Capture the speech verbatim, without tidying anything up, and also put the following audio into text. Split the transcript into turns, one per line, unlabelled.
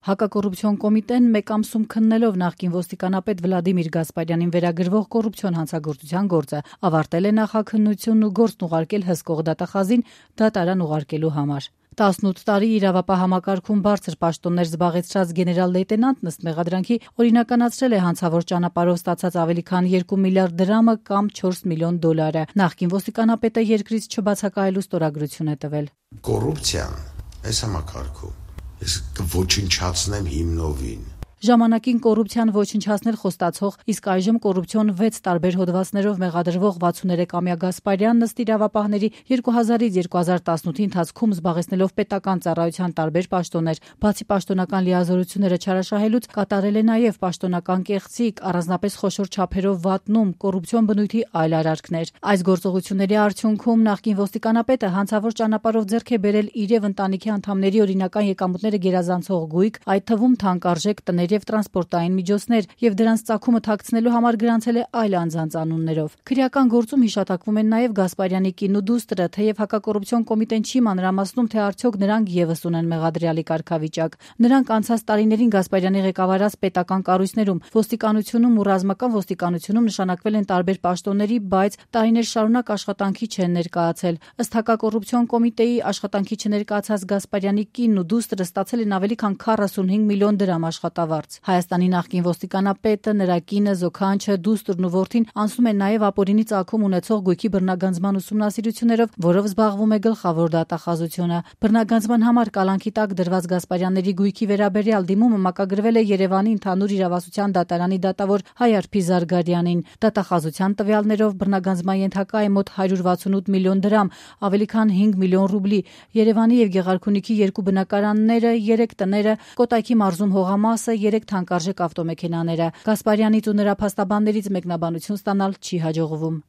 Հակակոռուպցիոն կոմիտեն մեկ ամսում քննելով նախկին ոստիկանապետ Վլադիմիր Գասպարյանին վերագրվող կոռուպցիոն հանցագործության գործը ավարտել է նախաքննությունն ու գործն ուղարկել հսկող դատախազին դատարան ուղարկելու համար։ տասնութ տարի իրավապահ համակարգում բարձր պաշտոններ զբաղեցրած գեներալ-լեյտենանտն ըստ մեղադրանքի օրինականացրել է հանցավոր ճանապարհով ստացած ավելի քան երկու միլիարդ դրամը կամ չորս միլիոն դոլարը։ Նախկին ոստիկանապետը երկրից չբացակայելու ստորագրություն է տվել։
Կոռուպցիան այս համակարգում ես կոչնչացնեմ հիմնովին։
Ժամանակին կոռուպցիան ոչնչացնել խոստացող, իսկ այժմ կոռուպցիոն վեց տարբեր հոդվածներով մեղադրվող վաթսուներեքամյա Գասպարյանն ըստ իրավապահների երկու հազարից երկու հազար տասնութի ընթացքում զբաղեցնելով պետական ծառայության տարբեր պաշտոններ, բացի պաշտոնական լիազորությունները չարաշահելուց, կատարել է նաև պաշտոնական կեղծիք, առանձնապես խոշոր չափերով վատնում, կոռուպցիոն բնույթի այլ արարքներ։ Այս գործողությունների արդյունքում նախկին ոստիկանապետը հանցավոր ճանապարհով ձեռք է բերել իր եւ ընտանիքի անդամների օրինական եկամուտները գերազանցող գույք, այդ թվում թանկարժեք տներ եւ տրանսպորտային միջոցներ, եւ դրանց ծագումը թաքցնելու համար գրանցել է այլ անձանց անուններով։ Քրեական գործում հիշատակվում են նաեւ Գասպարյանի կին ու դուստրը, թեև հակակոռուպցիոն կոմիտեն չի մանրամասնում, թե արդյոք նրանք եւս ունեն մեղադրյալի կարգավիճակ։ Նրանք անցած տարիներին Գասպարյանի ղեկավարած պետական կառույցներում, ոստիկանությունում ու ռազմական ոստիկանությունում նշանակվել են տարբեր պաշտոնների, բայց տարիներ շարունակ աշխատանքի չեն ներկայացել։ Ըստ հակակոռուպցիոն կոմիտեի աշխատանքի չներկայացած Գասպարյանի կինն ու դուստրը ստացել են ավելի քան քառասունհինգ միլիոն դրամ աշխատավարձ։ Հայաստանի նախկին ոստիկանապետը, նրա կինը, զոքանչը, դուստրն ու որդին անցնում են նաև ապօրինի ծագում ունեցող գույքի բռնագանձման ուսումնասիրություններով, որով զբաղվում է գլխավոր դատախազությունը։ Բռնագանձման համար կալանքի տակ դրված Գասպարյանների գույքի վերաբերյալ դիմումը մակագրվել է Երևանի ընդհանուր իրավասության դատարանի դատավոր Հայարփի Զարգարյանին։ Դատախազության տվյալներով բռնագանձման ենթակա է մոտ հարյուր վաթսունութ միլիոն դրամ, ավելի քան հինգ միլիոն ռուբլի, Երևանի եւ Գեղարքունիքի երկու բնակարանները, երեք տները, Կոտայքի մարզում հողամասը, երեք թանկարժեք ավտոմեքենաները։ Գասպարյանից ու նրա փաստաբաններից մեկնաբանություն ստանալ չի հաջողվում։